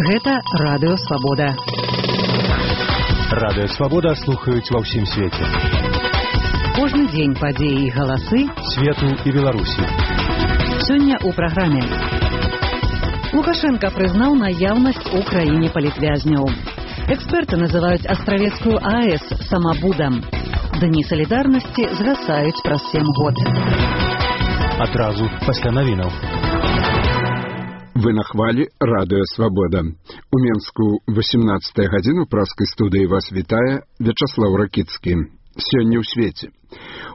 Гэта Радыё Свабода. Радыё Свабода слухаюць ва ўсім свеце. Кожны дзень падзеі і галасы свету і Беларусі. Сёння ў праграме. Лукашенко прызнаў наяўнасць у краіне палітвязняў. Эксперты называюць Астравецкую АЭС самабудам. Дні салідарнасці згасаюць праз 7 год. Адразу пасля навінаў. Вы на хвалі Радыё Свабода. У Менску 18 гадзіну праскай студыі вас вітае Вячаслаў Ракіцкі. Сёння ў свеце.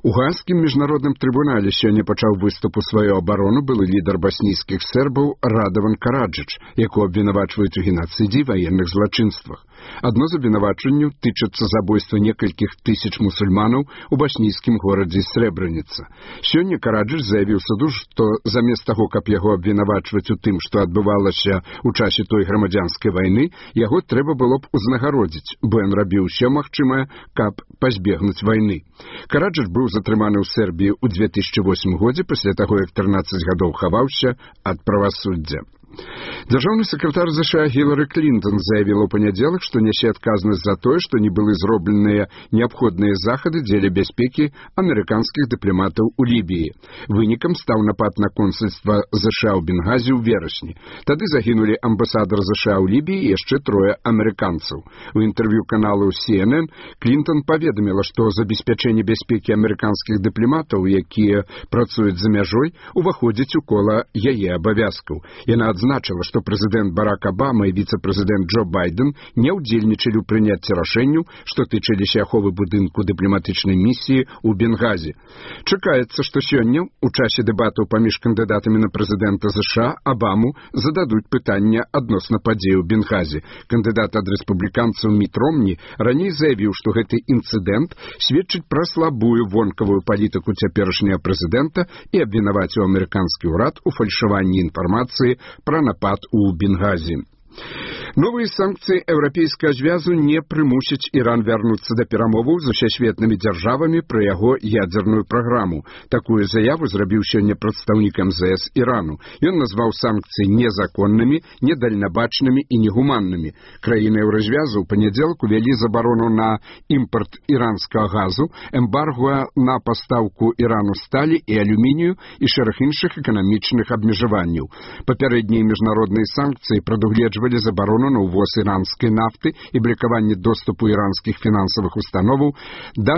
У Гаазскім міжнародным трыбунале сёння пачаў выступ у сваю абарону былы лідар баснійскіх сербаў Радаван Караджыч, якого абвінавачваюць у генацыдзе і ваенных злачынствах. Адно з абвінавачанняў тычыцца забойства некалькіх тысяч мусульманаў у баснійскім горадзе Срэбраніца. Сёння Караджыч заявіў суду, што замест таго, каб яго абвінавачваць у тым, што адбывалася ў часе той грамадзянскай вайны, яго трэба было б узнагародзіць, бо ён рабіў усё магчымае, каб пазбегнуць вайны. Караджыч быў затрыманы ў Сербіі ў 2008 годзе пасля таго, як 13 гадоў хаваўся ад правасуддзя. Дзяржаўны сакратар США Гілары Клінтон заявіла ў панядзелак, што нясе адказнасць за тое, што не былі зробленыя неабходныя захады дзеля бяспекі амерыканскіх дыпламатаў у Лібіі. Вынікам стаў напад на консульства США ў Бенгазі ў верасні. Тады загінулі амбасадар США ў Лібіі і яшчэ 3 амерыканцаў. У інтэрв'ю каналу CNN Клінтон паведаміла, што забеспячэнне бяспекі амерыканскіх дыпламатаў, якія працуюць за мяжой, уваходзіць у кола яе абавязкаў. Яна адзначыла, што прэзідэнт Барак Абама і віцэ-прэзідэнт Джо Байден не ўдзельнічалі ў прыняцці рашэнняў, што тычыліся аховы будынку дыпламатычнай місіі ў Бенгазі. Чакаецца, што сёння ў часе дэбатаў паміж кандыдатамі на прэзідэнта США Абаму зададуць пытання адносна падзей у Бенгазі. Кандыдат ад рэспубліканцаў Міт Ромні раней заявіў, што гэты інцыдэнт сведчыць пра слабую вонкавую палітыку цяперашняга прэзідэнта і абвінаваціў амерыканскі ўрад у фальшаванні інфармацыі пра напад у Бенгазі. Новыя санкцыі Еўрапейскага звязу не прымусяць Іран вярнуцца да перамоваў з усесветнымі дзяржавамі пра яго ядзерную праграму. Такую заяву зрабіў сёння прадстаўнік МЗС Ірану. Ён назваў санкцыі незаконнымі, недальнабачнымі і негуманнымі. Краіны Еўразвязу ў панядзелак увялі забарону на імпарт іранскага газу, эмбарго на пастаўку Ірану сталі і алюмінію і шэраг іншых эканамічных абмежаванняў. Папярэднія міжнародныя санкцыі прадугледжвалі забарону на ўвоз іранскай нафты і блакаванне доступу іранскіх фінансавых установаў да